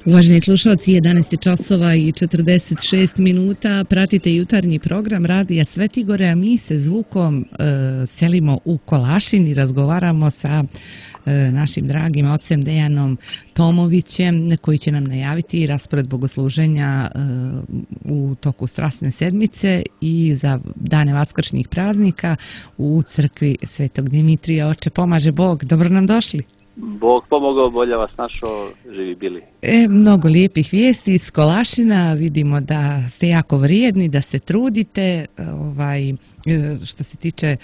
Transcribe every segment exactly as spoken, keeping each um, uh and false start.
Uvaženi slušalci, jedanaest časova i četrdeset šest minuta, pratite jutarnji program Radija Svetigore, a mi se zvukom e, selimo u Kolašin i razgovaramo sa e, našim dragim ocem Dejanom Tomovićem, koji će nam najaviti raspored bogosluženja e, u toku Strasne sedmice i za dane vaskršnjih praznika u crkvi Svetog Dimitrija. Oče, pomaže Bog, dobro nam došli. Bog pomogao, bolje vas našao, živi bili. E, mnogo lijepih vijesti iz Kolašina, vidimo da ste jako vrijedni, da se trudite, ovaj, što se tiče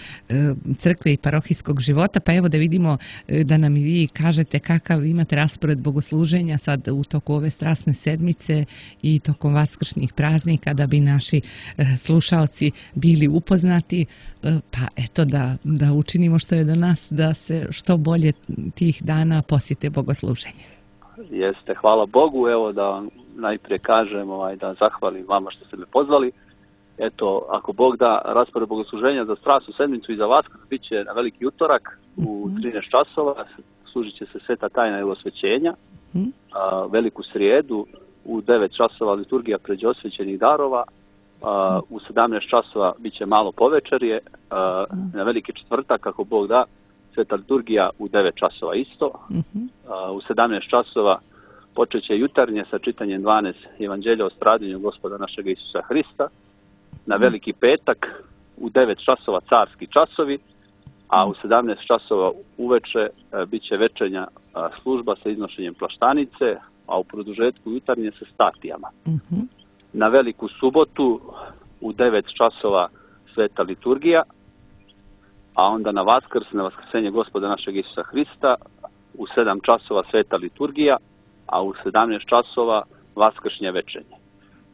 crkve i parohijskog života, pa evo da vidimo da nam i vi kažete kakav imate raspored bogosluženja sad u toku ove Strasne sedmice i tokom vaskršnjih praznika, da bi naši slušaoci bili upoznati, pa eto da, da učinimo što je do nas, da se što bolje tih dana posjete bogosluženje. Jeste, hvala Bogu, evo da vam najprije kažem, ovaj, da zahvalim vama što ste me pozvali. Eto, ako Bog da, raspored bogosluženja za Strasnu sedmicu i za Vaskrs bit će na veliki utorak u trinaest časova, služit će se sveta tajna ili osvećenja. A, veliku srijedu u devet časova liturgija pređe osvećenih darova, a, u sedamnaest časova bit će malo povečerje, a, na veliki četvrtak, ako Bog da, sveta liturgija u devet časova isto. A, u sedamnaest časova počet će jutarnje sa čitanjem dvanaest evanđelja o stradanju Gospoda našeg Isusa Hrista. Na veliki petak u devet časova carski časovi, a u sedamnaest časova uveče e, bit će večernja e, služba sa iznošenjem plaštanice, a u produžetku jutarnje sa statijama. Mm-hmm. Na veliku subotu u devet časova sveta liturgija, a onda na Vaskrs, na vaskrsenje Gospoda našeg Isusa Hrista, u sedam časova sveta liturgija, a u sedamnaest časova vaskršnje večernje.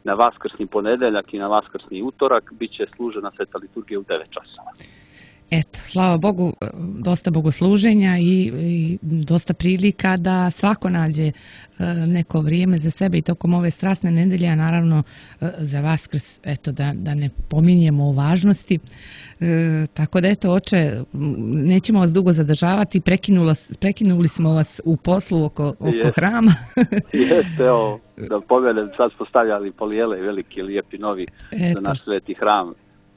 Na vaskrsni ponedeljak i na vaskrsni utorak bit će služena sveta liturgija u devet časova. Eto, slava Bogu, dosta bogosluženja i, i dosta prilika da svako nađe neko vrijeme za sebe i tokom ove strasne nedelje, a naravno za Vaskrs, eto, da, da ne pominjemo o važnosti. E, tako da, eto, oče, nećemo vas dugo zadržavati, prekinula, prekinuli smo vas u poslu oko, oko Jeste. hrama. Jeste, evo, da pomenem, sad smo stavljali polijele, veliki, lijepi, novi eto. za naš sveti hram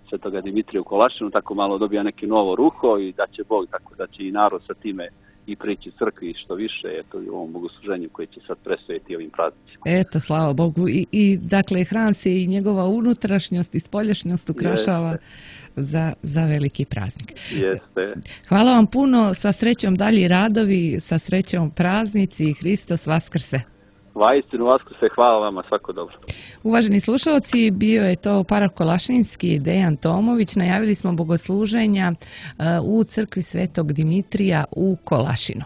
Svetoga Dimitrija u Kolašinu, tako malo dobija neki novo ruho i da će Bog, tako da će i narod sa time i prići crkvi što više, eto, i u ovom bogosluženju koji će sad presveti ovim praznicima. Eto, slava Bogu. I, i dakle, hram se i njegova unutrašnjost i spoljašnjost ukrašava za, za veliki praznik. Jeste. Hvala vam puno, sa srećom dalji radovi, sa srećom praznici, Hristos Vaskrse. Vaistinu Vaskrse, hvala vama, svako dobro. Uvaženi slušalci, bio je to parah Kolašinski Dejan Tomović. Najavili smo bogosluženja u crkvi Svetog Dimitrija u Kolašinu.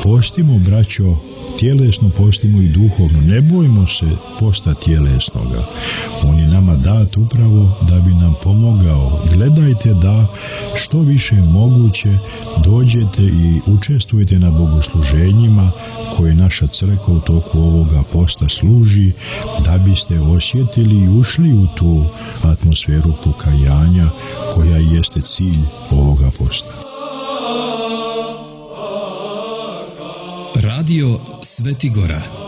Postimo, braćo, tjelesno postimo i duhovno. Ne bojmo se posta tjelesnoga. On je nama dat upravo da bi nam pomogao. Gledajte da što više moguće dođete i učestvujete na bogosluženjima koje naša crkva u toku ovoga posta služi, da biste osjetili i ušli u tu atmosferu pokajanja koja jeste cilj ovoga posta. Radio Svetigora.